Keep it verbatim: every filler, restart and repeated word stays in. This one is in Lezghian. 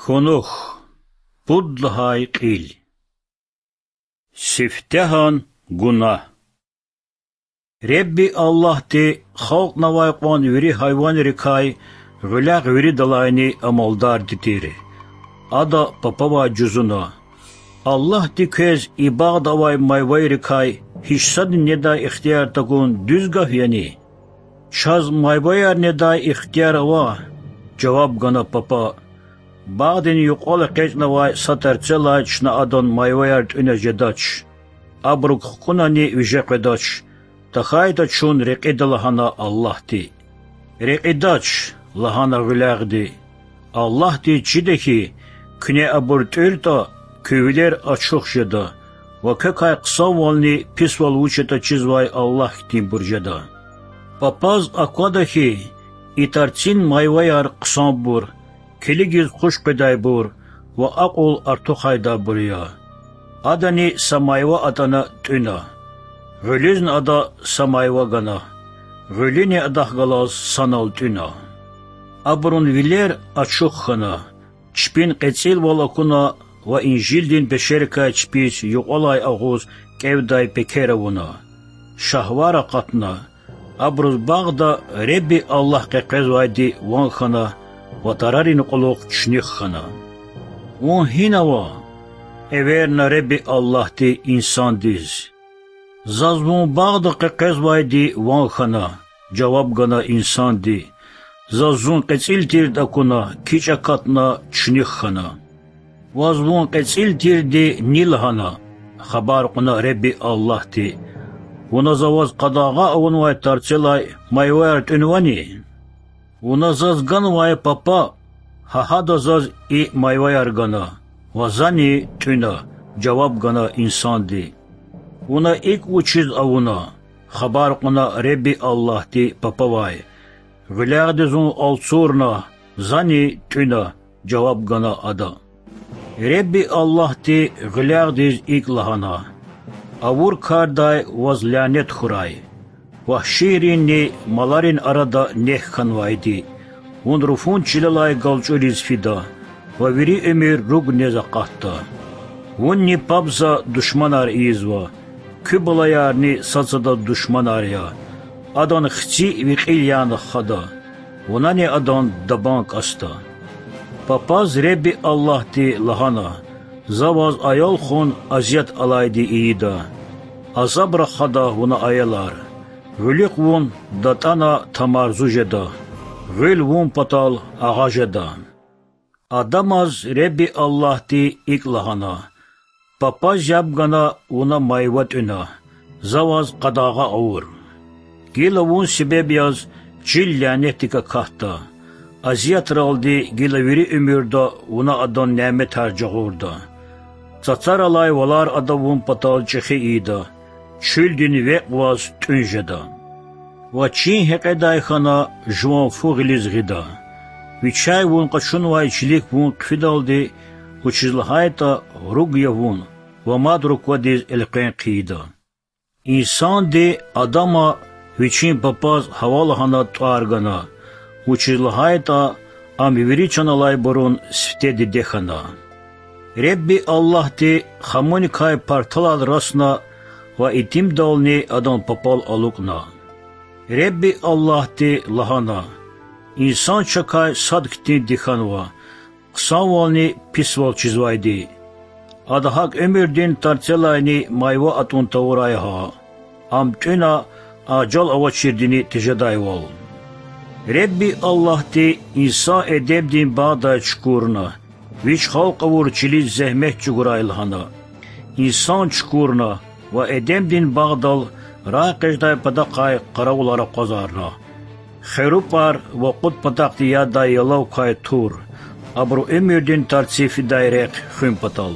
Кунух. Пуд лагьай кьил. Сифтегьан гунагь. Худа Аллагьди халкьнавай кьван вири гьайванрикай гъуьлягъ виридалайни амалдарди тир. Ада папавай жузуна: Аллагьди квез и багъда авай майвайрикай гьич садни недай ихтияр тагун дуьз гаф яни? Чаз майваяр недай ихтияр ава,— жаваб гана папа. Багъдин юкьвал экъечӀнавай са тарцелай чна адан майваяр тӀуьна жедач, абурук хкӀунани виже къведач, тахьайтӀа чун рекьида лагьана Аллагьди. Рекьидач,— лагьана гъуьлягъди. Аллагьдиз чида хьи, куьне абур тӀуьртӀа, куь вилер ачух жеда ва квекай хъсанвални писвал вуч ятӀа чизвай Аллагь хьтинбур жеда. Папаз аквада хьи, и тарцин майваяр хъсанбур, килигиз хуш къведайбур ва акьул артухайдайбур я. Адани са майва атӀана тӀуьна. Гъуьлуьзни ада са майва гана. Гъуьлуьни адахъ галаз санал тӀуьна. Абурун вилер ачух хьана, чпин кьецӀилвал акуна ва инжилдин пешерикай чпиз юкьвалай агъуз кӀевдай пекер авуна. Шагьвар акъатна. Абуруз багъда Худа Аллагь къекъвезвайди ван хьана ва тарарин кьулухъ чуьнуьх хьана. Вун гьина ава? эверна Худа Аллагьди инсандиз. Заз вун багъда къекъвезвайди ван хьана,— жаваб гана инсанди. Заз зун кьецӀил тирди акуна, кичӀ акатна, чуьнуьх хьана. Ваз вун кьецӀил тирди ни лагьана,— хабар кьуна Худа Аллагьди. Вуна за ваз къадагъа авунвай тарцелай майваяр тӀуьнвани? Вуна заз ганвай папа, гьа гьада заз и майваяр гана ва зани тӀуьна,— жаваб гана инсанди. Вуна икӀ вучиз авуна? хабар кьуна Худа Аллагьди папавай. Гъуьлягъди зун алцурна, зани тӀуьна,— жаваб гана ада. Худа Аллагьди гъуьлягъдиз икӀ лагьана: Авур кардай ваз лянет хьурай, вагьшийринни маларин арада нек хьанвайди! Вун руфун чилелай галчӀуриз фида ва вири уьмуьр руг нез акъатда. Вунни паб за душманар ийизва, куь балаярни сад-садаз душманар я. Адан хци ви кьил яна хада, вунани адан дабан кӀасда. Папаз Худа Аллагьди лагьана: За ваз аял хун азият алайди ийида. Азаб рахада вуна аялар. Гъуьлуьхъ вун датӀана тамарзу жеда, гъуьл вун патал агъа жеда. Адамаз Худа Аллагьди икӀ лагьана: Папаз яб гана вуна майва тӀуьна, за ваз къадагъа авур. Гила вун себеб яз чил лянетдик акатда, азиятралди гила вири уьмуьрда вуна адан няметар жагъурда. Цацаралай валар ада вун патал чӀехи ийида, чуьлдин векь ваз тӀуьн жеда. Ва чин гьекьедай хьана жуван фу гъилиз гъида. Вичяй вун къачунвай чилик вун хъфидалди, вучиз лагьайтӀа руг я вун, ва мад руквадиз элкъвен хъийида. Инсанди Адама вичин папаз гьава лагьана тӀвар гана, вучиз лагьайтӀа ам вири чан алайбурун сифте диде хьана. Худа Аллагьди хамуникай парталал расна ва итимдални адан папал алукӀна. Худа Аллагьди лагьана: Инсан чакай сад хьтинди хьанва, хъсанвални писвал чизвайди. Ада гьакӀ уьмуьрдин тарцелайни майва атӀун тавурай гьа, ам тӀуьна, ажал авачирдини тежедайвал. Худа Аллагьди инсан Эдемдин багъдай чукурна, вич халкь авур чилиз зегьмет чӀугурай лагьана. Инсан чукурна ва Эдемдин багъдал рагъэкъечӀдай патахъай къаравулар акъвазарна: херупӀар ва кьуд патахъди ядай ялав квай тур, абуру уьмуьрдин тарци фидай рехъ хуьн патал.